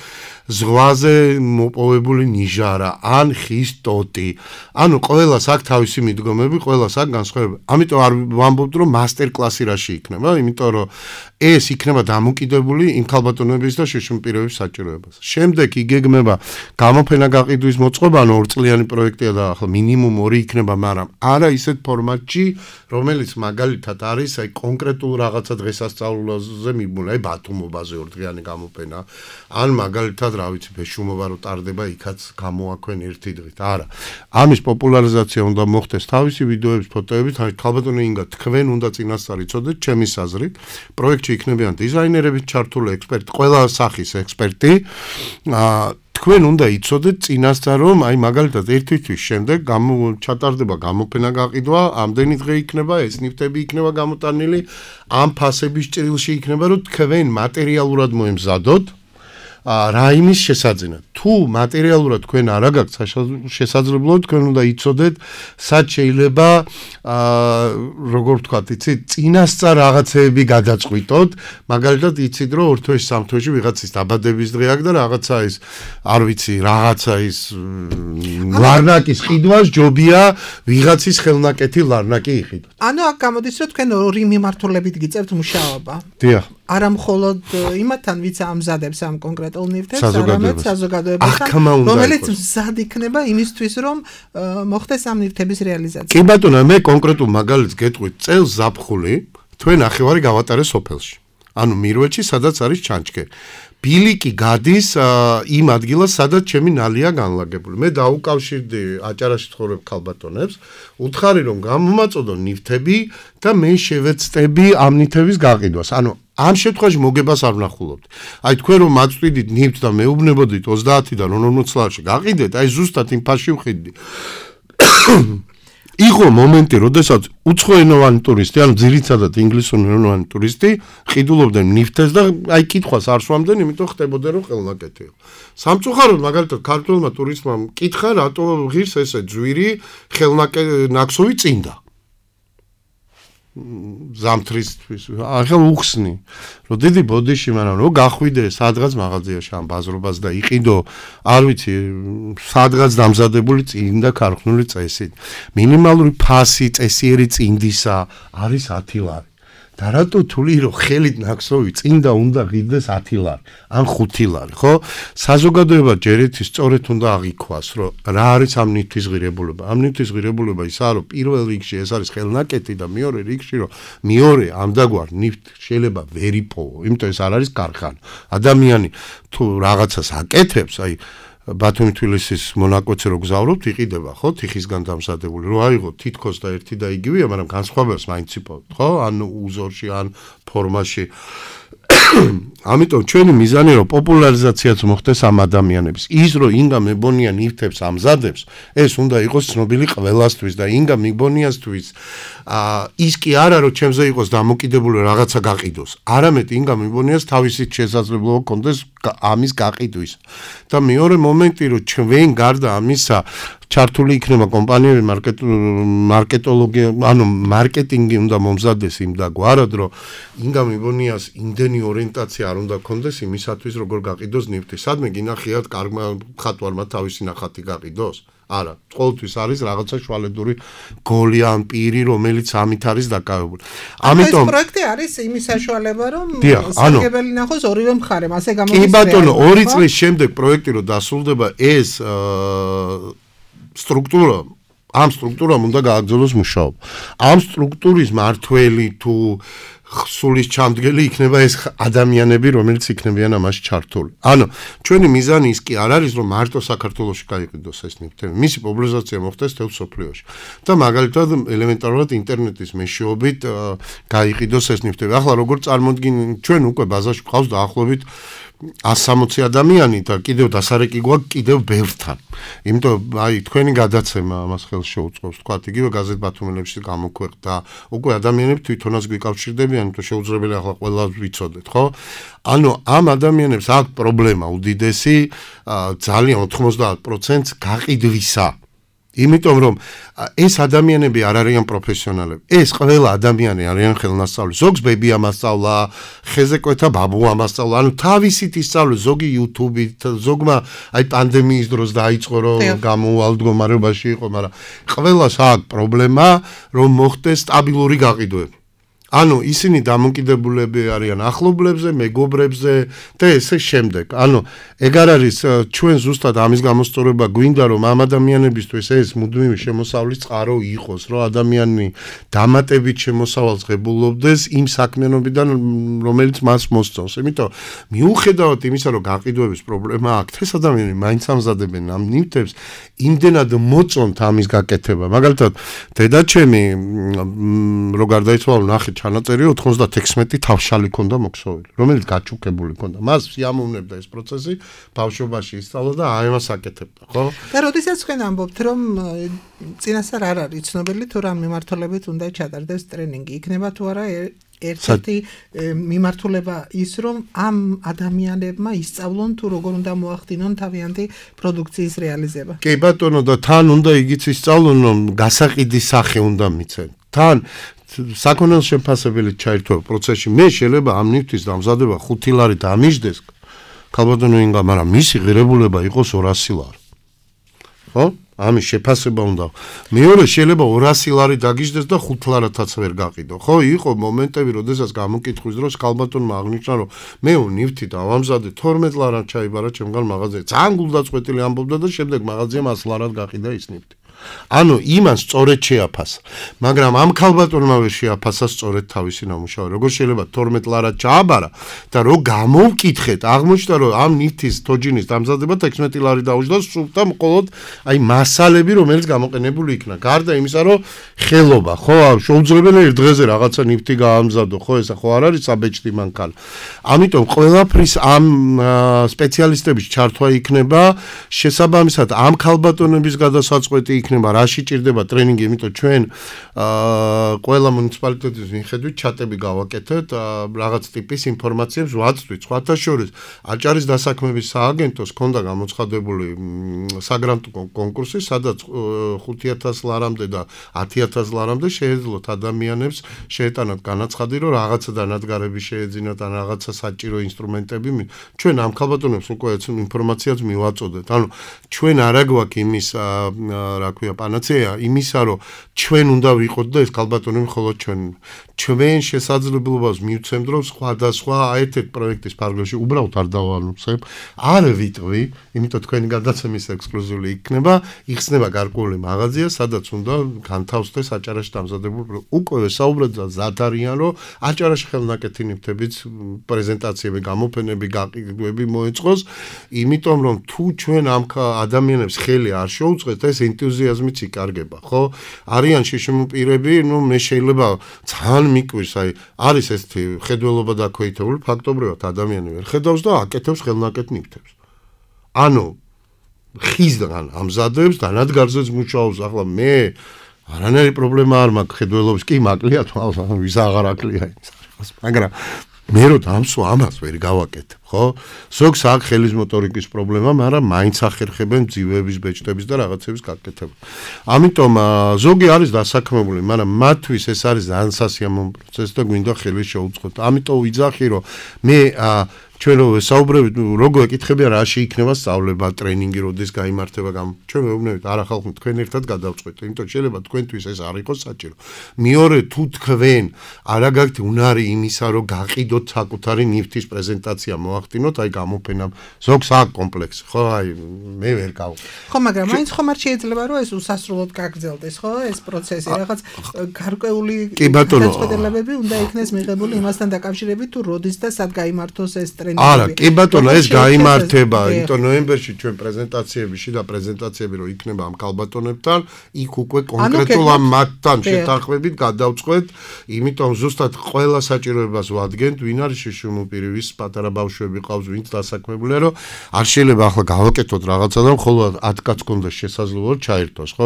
ზღვაზე მოპოვებული ნიჟარა, ან ხის ტოტი. ანუ ყველას აქვს თავისი მიდგომები, ყველას აქვს განსხვავება. ამიტომ არ ვამბობთ, რომ მასტერკლასი რაში იქნება, იმიტომ რომ ეს იქნება დამოკიდებული იმ ქალბატონების და შიშუმპირების საჭიროებას. შემდეგ იგეგმება გამოფენა გაყიდვის მოწყობა, ანუ 2 წლიანი პროექტია და ახლა მინიმუმ 2 იქნება, მაგრამ არა ისეთ ფორმატში, რომელიც მაგალითად არის აი კონკრეტულ რაღაცა დღესასწაულზე მიბმული, აი ბათუმობაზე 2 დღიანი გამოფენა, ან მაგალითად რა ვიცი, ბეშუმობა რო ტარდება, იქაც გამოაქვენ 1 დღით. არა. ამის პოპულარიზაცია უნდა მოხდეს თავისი ვიდეოების, ფოტოებით, აი ქალბატონი ინგა, თქვენ უნდა წინასწარ იცოდეთ ჩემი აზრით, პროექტში იქნებიან დიზაინერები, ჩართული ექსპერტი, ყველა სახის ექსპერტი. თქვენ უნდა იცოდეთ წინასწარ, რომ აი მაგალითად 1 თვის შემდეგ ჩატარდება გამოფენა გაყიდვა, ამდენი დღე იქნება, ეს ნივთები იქნება გამოტანილი, ამ ფასების ჭრილში იქნება, რომ თქვენ მატერიალურად მოემზადოთ რა იმის შესაძინად. თუ მატერიალურად თქვენ არ აგაქვთ შესაძლებლობა, თქვენ უნდა იცოდეთ, სად შეიძლება როგორ ვთქვათ, იცით, წინასწარ რაღაცეები გადაწყვიტოთ, მაგალითად იცით, რომ 2 თვეში, 3 თვეში ვიღაცის დაბადების დღე აქვს და რაღაცა ის, არ ვიცი, რაღაცა ის ლარნაკის ყიდვას ჯობია ვიღაცის ხელნაკეთი ლარნაკი იყიდოთ. ანუ აქ გამოდის, რომ თქვენ 2 მიმართულებით გიწევთ მუშაობა. დიახ. არა მხოლოდ იმათთან, ვიც ამზადებს ამ კონკრეტულ ნივთებს, არამედ საზოგადოებასთან, რომელიც მზად იქნება იმისთვის, რომ მოხდეს ამ ნივთების რეალიზაცია. კი ბატონო, მე კონკრეტულ მაგალითს გეტყვით, წელს ზაფხული თქვენ ნახევარი გავატარე სოფელში. ანუ მირვეთში, სადაც არის ჩანჩქერი. ბილიკი გადის იმ ადგილას, სადაც ჩემი ნალია განლაგებული. მე დაუკავშირდი აჭარაში ცხოვრებ ქალბატონებს, უთხარი რომ გამომაწოდო ნივთები და მე შევეცდები ამ ნივთების გაყიდვას. ანუ ამ შემთხვევაში მოგებას არ ვნახულობთ. აი თქვენ რომ მაწვდით ნივთს და მეუბნებოდით 30-დან 40 წლებში გაყიდეთ, აი ზუსტად იმ ფასში ვხიდდი. იყო მომენტი, როდესაც უცხოენოვანი ტურისტი, ანუ ძირითადად ინგლისურენოვანი ტურისტი, ყიდულობდნენ ნივთებს და აი კითხვას არ სვამდნენ, იმიტომ ხდებოდა რომ ხელნაკეთი იყო. სამწუხაროდ მაგალითად ქართველმა ტურისტმა მკითხა, რატო ღირს ესე ძვირი ნაქსოვი წინდა. ზამთრისთვის ახლა უხსნი რომ დიდი ბოდიში, მაგრამ რომ გახვიდე სადღაც მაღაზიაში ამ ბაზრობას და იყიდო, არ ვიცი, სადღაც დამზადებული წინდა ქარხნული წესით. მინიმალური ფასი წესიერი წინდისა არის 10 ლარი. და რატო თვლი რომ ხელით ნაქსოვი წინდა უნდა ღირდეს 10 ლარი ან 5 ლარი, ხო? საზოგადოება ჯერეთი სწორედ უნდა აღიქვას, რომ რა არის ამ ნივთის ღირებულება. ამ ნივთის ღირებულება ისაა, რომ პირველ რიგში ეს არის ხელნაკეთი და მეორე რიგში, რომ მეორე ამდაგვარ ნივთს შეიძლება ვერ იპოვო, იმიტომ ეს არ არის ქარხანა. ადამიანი თუ რაღაცას აკეთებს, აი ბათუმი-თბილისის მონაკვეთზე რო გზავრობთ, იყიდება, ხო, თიხისგან დამზადებული. რო აიღო თითქოს და ერთი და იგივეა, მაგრამ განსხვავებას მაინც იპოვოთ, ხო? ან უზორში, ან ფორმაში. ამიტომ ჩვენი მიზანი რომ პოპულარიზაციაც მოხდეს ამ ადამიანების. ის რომ ინგა მებონია ნივთებს ამზადებს, ეს უნდა იყოს ცნობილი ყველასთვის და ინგა მიბონიასთვის ის კი არა რომ ჩემზე იყოს დამოკიდებული რაღაცა გაყიდოს. არამედ ინგა მიბონიას თავისი შესაძლებლობა კონდეს ამის გაყიდვის. და მეორე მომენტი რომ ჩვენ გარდა ამისა ჩართული იქნება კომპანიები მარკეტოლოგია, ანუ მარკეტინგი უნდა მომზადდეს იმ და გვარად რომ ინგა მიბონიას იმდენი ორიენტაცია არ უნდა კონდეს იმისათვის როგორ გაყიდოს ნივთი. სადმე გინახიათ კარგმა ხატვარმა თავისი ნახატი გაყიდოს? არა, ყოველთვის არის რაღაცა შვალედური გოლი ან პირი, რომელიც ამით არის დაკავებული. ამიტომ ეს პროექტი არის იმის საშუალება, რომ სარგებელი ნახოს ორივე მხარემ, ასე გამოდის. კი ბატონო, 2 წლის შემდეგ პროექტი რო დასრულდება, ეს სტრუქტურა, ამ სტრუქტურამ უნდა გააგრძელოს მუშაობა. ამ სტრუქტურის მართველი თუ ხსულის ჩამდგელი იქნება ეს ადამიანები, რომელიც იქნებიან ამაში ჩართული. ანუ ჩვენი მიზანი ის კი არ არის, რომ მარტო საქართველოში გაიყიდოს ეს ნივთები. მისი პოპულარიზაცია მოხდეს თელ სოფლიოში. და მაგალითად ელემენტარულად ინტერნეტის მეშვეობით გაიყიდოს ეს ნივთები. ახლა როგორ წარმოდგინეთ, ჩვენ უკვე ბაზაში გვყავს დაახლოებით 160 ადამიანი და კიდევ დასარეკი გვაქვს კიდევ ბევრთან. იმიტომ აი თქვენი გადაცემა ამას ხელს შეუწყობს, თქვა იგივე გაზეთ ბათუმელებში გამოქვეყნდა. უკვე ადამიანები თვითონაც გვიკავშირდებიან, იმიტომ შეუძლებელია ახლა ყველა ვიცოდეთ, ხო? ანუ ამ ადამიანებს აქვს პრობლემა უდიდესი, ძალიან 90% გაყიდვისა. იმიტომ რომ ეს ადამიანები არ არიან პროფესიონალები. ეს ყველა ადამიანი არიან ხელნასწავლი. ზოგს ბები ამასწავლა, ხეზეკვეთა ბაბუ ამასწავლა. ანუ თავისით ისწავლე ზოგი YouTube-ით, ზოგმა აი პანდემიის დროს დაიწყო რომ გამოუვალ მდგომარეობაში იყო, მაგრამ ყველას აქვს პრობლემა რომ მოხდეს სტაბილური გაყიდვები. ანუ ისინი დამოკიდებულები არიან ახლობლებზე, მეგობრებზე და ესე შემდეგ. ანუ ეგ არ არის ჩვენ ზუსტად ამის გამოსწორება გვინდა რომ ამ ადამიანებისთვის ეს მუდმივი შემოსავლის წყარო იყოს, რომ ადამიანი დამატებით შემოსავალს ღებულობდეს იმ საქმიანობიდან, რომელიც მას მოსწონს. იმიტომ მიუხედავად იმისა, რომ გაყიდვების პრობლემა აქვს, ეს ადამიანები მაინც ამზადებენ ამ ნივთებს, იმდენად მოწონთ ამის გაკეთება. მაგალითად, დედაჩემი რო გარდაიცვალა ნახეთ ჩანაწერი 96 თავშალი ქონდა მოქსოვილი, რომელიც გაჩუქებული ქონდა. მას სიამოვნებდა ეს პროცესი, ბავშვობაში ისწავლა და აი მას აკეთებდა, ხო? და როდესაც თქვენ ამბობთ, რომ წინასწარ არ არის ცნობილი თუ რა მიმართულებით უნდა ჩატარდეს ტრენინგი, იქნება თუ არა ერთ-ერთი მიმართულება ის, რომ ამ ადამიანებმა ისწავლონ თუ როგორ უნდა მოახდინონ თავიანთი პროდუქციის რეალიზება. კი ბატონო, და თან უნდა იგიც ისწავლონ, რომ გასაყიდის სახე უნდა მიცენ. თან საქონელს შეფასებელი ჩაერთვა პროცესში. მე შეიძლება ამ ნივთის დამზადება 5 ლარი დამიждდეს. ქალბატონო ინგა, მაგრამ მისი ღირებულება იყოს 200 ლარი. ხო? ამის შეფასება უნდა. მეორე შეიძლება 200 ლარი დაგიждდეს და 5 ლარათაც ვერ გაყიდო. ხო, იყო მომენტები, როდესაც გამოკითხვის დროს ქალბატონმა აღნიშნა, რომ მე ნივთი დავამზადე 12 ლარად ჩაიბარა ჩემგან მაღაზიაში. ძალიან გულდაწყვეტილი ამბობდა და შემდეგ მაღაზიამ 100 ლარად გაყიდა ის ნივთი. ანუ იმას სწორედ შეაფასა. მაგრამ ამ ქალბატონმა ვერ შეაფასა სწორედ თავისი ნამუშევარი. როგორ შეიძლება 12 ლარად ჩააბარა და რო გამოვკითხეთ, აღმოჩნდა რომ ამ ნივთის თოჯინის დამზადება 16 ლარი დაუჭდა სულთა მხოლოდ აი მასალები, რომელიც გამოყენებული იქნა. გარდა იმისა, რომ ხელობა, ხო, შეუძლებელია ერთ დღეზე რაღაცა ნივთი გაამზადო, ხო, ესა ხო არ არის საბეჭდი მანქანა. ამიტომ ყველაფრის ამ სპეციალისტების ჩართვა იქნება, შესაბამისად ამ ქალბატონების გადასაწყვეტი იქნება, რაში ჭირდება ტრენინგი, იმიტომ ჩვენ ყველა მუნიციპალიტეტის მიხედვით ჩატები გავაკეთეთ, რაღაც ტიპის ინფორმაციებს ვაწვდით. სხვათა შორის აჭარის დასაქმების სააგენტოს ჰქონდა გამოცხადებული საგრანტო კონკურსი, სადაც 5000 ლარამდე და 10000 ლარამდე შეეძლოთ ადამიანებს შეეტანათ განაცხადი, რომ რაღაცა დანადგარები შეეძინათ ან რაღაცა საჭირო ინსტრუმენტები. ჩვენ ამ ქალბატონებს უკვე ინფორმაციაც მივაწოდეთ. ანუ ჩვენ არა გვაქვს იმის რა ქვია პანაცეა იმისა, რომ ჩვენ უნდა ვიყოთ და ეს ქალბატონები მხოლოდ ჩვენ შესაძლებლობას მივცემთ, რომ სხვადასხვა ერთ-ერთ პროექტის ფარგლებში უბრალოდ არ დავანუცებ, არ ვიტყვი, იმიტომ თქვენი გადაცემის ექსკლუზიული იქნება, იხსნება გარკვეული მაღაზია, სადაც უნდა განთავსდეს აჭარაში დამზადებულ უკვე საუბრად ზად არიან, რომ აჭარაში ხელნაკეთი ნივთების პრეზენტაციები, გამოფენები, გაყიდვები მოეწყოს, იმიტომ რომ თუ ჩვენ ამ ადამიანებს ხელი არ შეუწყეთ, ეს ენთუზიაზმი ენთუზიაზმიც იკარგება, ხო? არიან შიშიმ პირები, მე შეიძლება ძალიან მიკვირს, არის ესეთი ხედველობა დაქვეითებული, ფაქტობრივად ადამიანი ვერ ხედავს და აკეთებს ხელნაკეთ ნივთებს. ანუ ხიზდან ამზადებს და ნადგარზეც მუშაობს, ახლა მე არანაირი პრობლემა არ მაქვს ხედველობის, კი მაკლია თვალს, ვის აღარ აკლია იმის, მაგრამ მე რო დამსვა ამას ვერ გავაკეთებ, ხო? ზოგს აქვს ხელის მოტორიკის პრობლემა, მაგრამ მაინც ახერხებენ ძივების, ბეჭდების და რაღაცების გაკეთება. ამიტომ ზოგი არის დასაქმებული, მაგრამ მათთვის ეს არის ძალიან სასიამოვნო პროცესი და გვინდა ხელი შეუწყოთ. ამიტომ ვიძახი, რომ მე ჩვენ რო საუბრობთ, როგორ ეკითხებია რა შეიქნება სწავლება, ტრენინგი, როდის გაიმართება, ჩვენ მეუბნებით, არა ხალხო, თქვენ ერთად გადავწყვეტთ, იმიტომ შეიძლება თქვენთვის ეს არ იყოს საჭირო. მეორე, თუ თქვენ არ აგაქვთ უნარი იმისა, რომ გაყიდოთ საკუთარი ნივთის პრეზენტაცია მოახდინოთ, გამოფენა, ზოგს აქვს კომპლექსი, ხო, მე ვერ გავ. ხო, მაგრამ მაინც ხომ არ შეიძლება რომ ეს უსასრულოდ გაგრძელდეს, ხო, ეს პროცესი, რაღაც გარკვეული გადაწყვეტილებები უნდა იქნეს მიღებული იმასთან დაკავშირებით, თუ როდის და სად გაიმართოს ეს ტრენინგი. არა, კი ბატონო, ეს გაიმართება, იმიტომ ნოემბერში ჩვენ პრეზენტაციები, შიდა პრეზენტაციები რო იქნება ამ კალბატონებთან, იქ უკვე კონკრეტულ ამ მათთან შეთანხმებით გადავწყვეტ, იმიტომ ზუსტად ყველა საჭიროებას ვადგენთ, ვინ არის შიშიმუპირი, ვის პატარა ბავშვები ყავს, ვინც დასაქმებულია, რომ არ შეიძლება ახლა გავაკეთოთ რაღაცა და მხოლოდ 10 კაცს კონდეს შესაძლებლობა ჩაერთოს, ხო?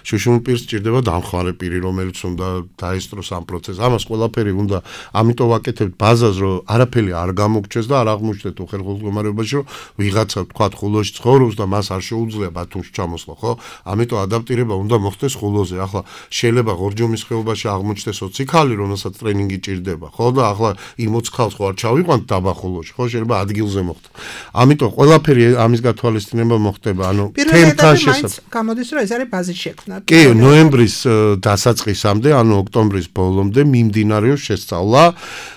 შიშიმუპირს სჭირდება დამხმარე პირი, რომელიც უნდა დაესწროს ამ პროცესს. ამას ყველაფერი უნდა, ამიტომ ვაკეთებთ ბაზას, რომ არაფერი არ გამოგჩეს და არ აღმოჩნდეთ უხერხულ მდგომარეობაში, რომ ვიღაცა თქვა ხულოში ცხოვრობს და მას არ შეუძლია ბათუმში ჩამოსვლა, ხო? ამიტომ ადაპტირება უნდა მოხდეს ხულოზე. ახლა შეიძლება ღორჯომის ხეობაში აღმოჩნდეს 20 ქალი, რომელსაც ტრენინგი ჭირდება, ხო? და ახლა იმ 20 ქალს ხო არ ჩავიყვანთ დაბა ხულოში, ხო? შეიძლება ადგილზე მოხდეს. ამიტომ ყველაფერი ამის გათვალისწინება მოხდება, ანუ თემთან შესაძლოა. გამოდის რომ ეს არის ბაზის შექმნა. კი, ნოემბრის დასაწყისამდე, ანუ ოქტომბრის ბოლომდე მიმდინარეობს შესწავლა.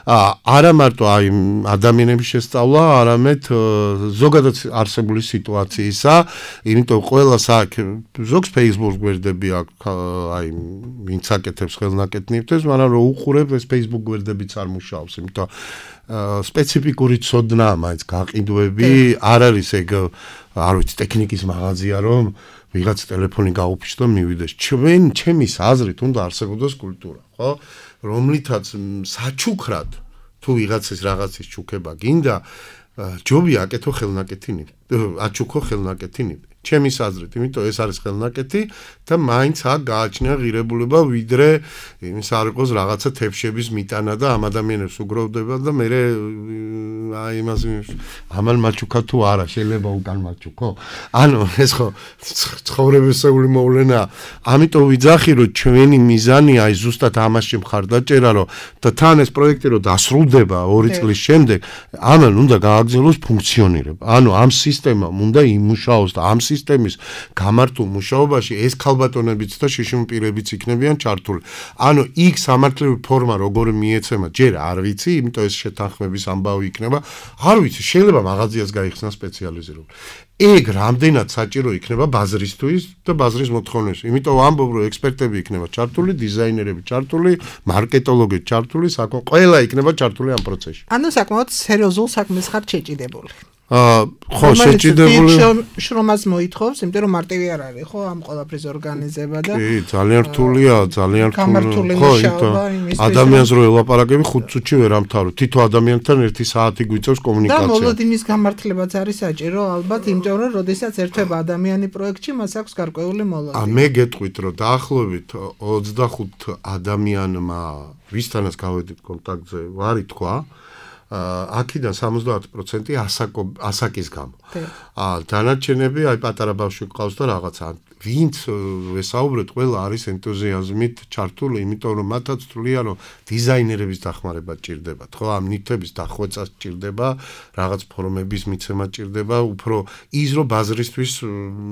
არა მარტო ადამიანების შესწავლა, არამედ ზოგადად არსებული სიტუაციისა, იმიტომ ყველას აქვს ზოგს Facebook გვერდები აქვს, ვინც აკეთებს ხელნაკეთ ნივთებს, მაგრამ რო უყურებ ეს Facebook გვერდებიც არ მუშაობს, იმიტომ სპეციფიკური ცოდნა მაინც გაყიდვები არ არის ეგ, არ ვიცი, ტექნიკის მაღაზია რომ ვიღაც ტელეფონი გაუფიშს და მივიდეს. ჩემის აზრით უნდა არსებობდეს კულტურა, ხო? რომლითაც საჩუქრად თუ ვიღაცის რაღაცის ჩუქება გინდა, ჯობია აკეთო ხელნაკეთი ნივთი, აჩუქო ხელნაკეთი ნივთი. ჩემის აზრით, იმიტომ ეს არის ხელნაკეთი და მაინც აქ გააჩნია ღირებულება, ვიდრე იმის არ იყოს რაღაცა თეფშების მიტანა და ამ ადამიანებს უგროვდება და მე იმას ამან მაჩუქა თუ არა, შეიძლება უკან მაჩუქო. ანუ ეს ხო ცხოვრებისეული მოვლენა. ამიტომ ვიძახი, რომ ჩვენი მიზანია ზუსტად ამაში მხარდაჭერა, რომ და თან ეს პროექტი რომ დასრულდება 2 წლის შემდეგ, ამან უნდა გააგრძელოს ფუნქციონირება. ანუ ამ სისტემამ უნდა იმუშაოს და ამ სისტემის გამართულ მუშაობაში ეს ქალბატონებიც და შიშიმპირებიც იქნებიან ჩართული. ანუ იქ სამართლიანი ფორმა როგორ მიეცემა, ჯერ არ ვიცი, იმიტომ ეს შეთანხმების ამბავი იქნება. არ ვიცი, შეიძლება მაღაზიას გაიხსნა სპეციალიზირებული. ეგ რამდენად საჭირო იქნება ბაზრისთვის და ბაზრის მოთხოვნისთვის. იმიტომ ამბობ, რომ ექსპერტები იქნება ჩართული, დიზაინერები ჩართული, მარკეტოლოგები ჩართული, ყველა იქნება ჩართული ამ პროცესში. ანუ საკმაოდ სერიოზულ საქმეს ხარ შეჭიდებული. ხო, შეჭიდებული შრომას მოითხოვს, იმიტომ რომ მარტივი არ არის, ხო, ამ ყველაფრის ორგანიზება და კი, ძალიან რთულია, ძალიან რთული. ხო, ადამიანს რო ელაპარაკები 5 წუთში ვერ ამთავრებ. თითო ადამიანთან 1 საათი გვიწევს კომუნიკაცია. და მოლოდინის გამართლებაც არის საჭირო, ალბათ, იმიტომ რომ როდესაც ერთვება ადამიანი პროექტში, მას აქვს გარკვეული მოლოდინი. მე გეტყვით, რომ დაახლოებით 25 ადამიანმა, ვისთანაც გავედით კონტაქტზე, ვარ ითქვა, აქედან 70% ასაკის გამო. დანარჩენები პატარა ბავშვი ყავს და რაღაცა. ვინც ვესაუბრეთ, ყველა არის ენთუზიაზმით ჩართული, იმიტომ რომ მათაც თვლიან, რომ დიზაინერების დახმარება ჭირდებათ, ხო, ამ ნივთების დახვეწა ჭირდება, რაღაც ფორმების მიცემა ჭირდება, უფრო ის რომ ბაზრისთვის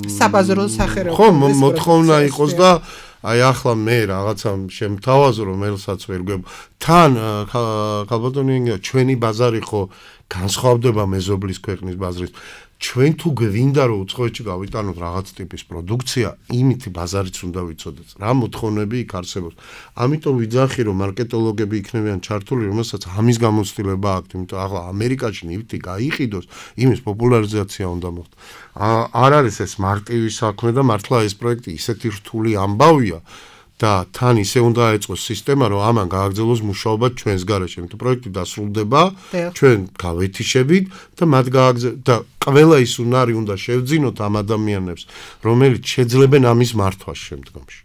საბაზრო სახერეობა. ხო, მოთხოვნა იყოს და ახლა მე რაღაცა შემთავაზო, რომ ელსაც ვერ გვებ. თან ქალბატონი ჩვენი ბაზარი ხო განსხვავდება მეზობლის ქვეყნის ბაზრის. ჩვენ თუ გვინდა რომ უცხოეთში გავიტანოთ რაღაც ტიპის პროდუქცია, იმითი ბაზარიც უნდა ვიცოდეთ. რა მოთხოვნები იქ არსებობს. ამიტომ ვიძახი რომ მარკეტოლოგები იქნებიან ჩართული, რომელსაც ამის გამოცდილება აქვთ, იმიტომ ახლა ამერიკაში ნივთი გაიყიდოს, იმის პოპულარიზაცია უნდა მოხდეს. არ არის ეს მარტივი საქმე და მართლა ეს პროექტი ისეთი რთული ამბავია და თან ისე უნდა ეწყოს სისტემა, რომ ამან გააგრძელოს მუშაობა ჩვენს გარეშე. იმიტომ პროექტი დასრულდება, ჩვენ გავეთიშებით და მათ და ყველა ის უნარი უნდა შევძინოთ ამ ადამიანებს, რომელიც შეძლებენ ამის მართვას შემდგომში.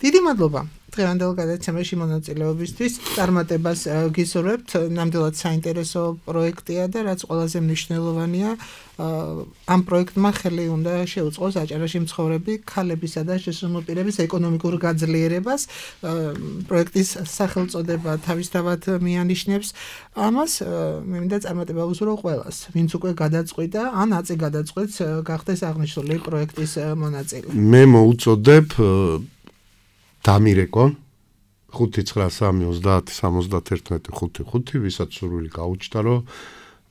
დიდი მადლობა დღევანდელ გადაცემაში მონაწილეობისთვის. წარმატებას გისურვებთ. ნამდვილად საინტერესო პროექტია და რაც ყველაზე მნიშვნელოვანია, ამ პროექტმა ხელი უნდა შეუწყოს აჭარაში მცხოვრები ქალებისა და შესაძლებლობების ეკონომიკურ გაძლიერებას. პროექტის სახელწოდება თავისთავად მიანიშნებს ამას. მე მინდა წარმატება ვუსურვო ყველას, ვინც უკვე გადაწყვიტა, ან აწი გადაწყვეტს გახდეს აღნიშნული პროექტის მონაწილე. მე მოუწოდებ დამირეკონ 593307155, ვისაც სურვილი გაუჩნდა, რომ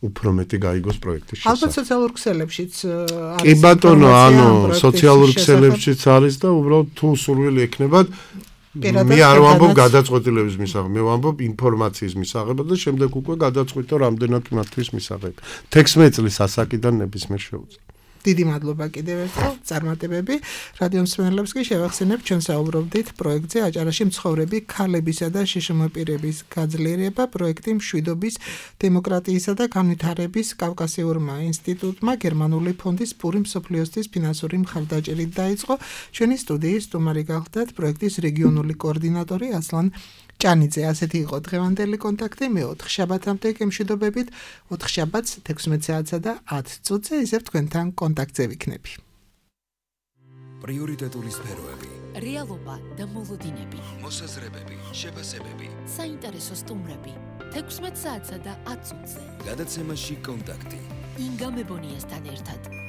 უფრო მეტი გაიგოს პროექტის შესახებ. ალბათ სოციალურ ქსელებშიც არის. კი ბატონო, სოციალურ ქსელებშიც არის და უბრალოდ თუ სურვილი ექნებათ, მე არ ვამბობ გადაწყვეტილების მისაღებ, მე ვამბობ ინფორმაციის მისაღებად და შემდეგ უკვე გადაწყვიტო რამდენად მათთვის მისაღებ. 16 წლის ასაკიდან ნებისმიერ შეუძლია. დიდი მადლობა კიდევ ერთხელ, წარმატებები. რადიო მსმენელებს კი შევახსენებ, ჩვენ საუბრობდით პროექტზე აჭარაში მცხოვრები ქალებისა და შშმ-პირების გაძლიერება. პროექტი მშვიდობის, დემოკრატიისა და განვითარების კავკასიურმა ინსტიტუტმა გერმანული ფონდის პური მსოფლიოსთვის ფინანსური მხარდაჭერით დაიწყო. ჩვენი სტუდიის სტუმარი გახლდათ პროექტის რეგიონული კოორდინატორი ასლან ჭანიძე. ასეთი იყო დღევანდელი კონტაქტი. მე 4 შაბათამდე გემშვიდობებით. 4 შაბათს 16 საათსა და 10 წუთზე ისევ თქვენთან კონტაქტზე ვიქნები. პრიორიტეტული სფეროები, რეალობა და მოლოდინები, მოსაზრებები, შეფასებები, საინტერესო სტუმრები. 16 საათსა და 10 წუთზე. გადაცემაში კონტაქტი. ინგა მებონიასთან ერთად.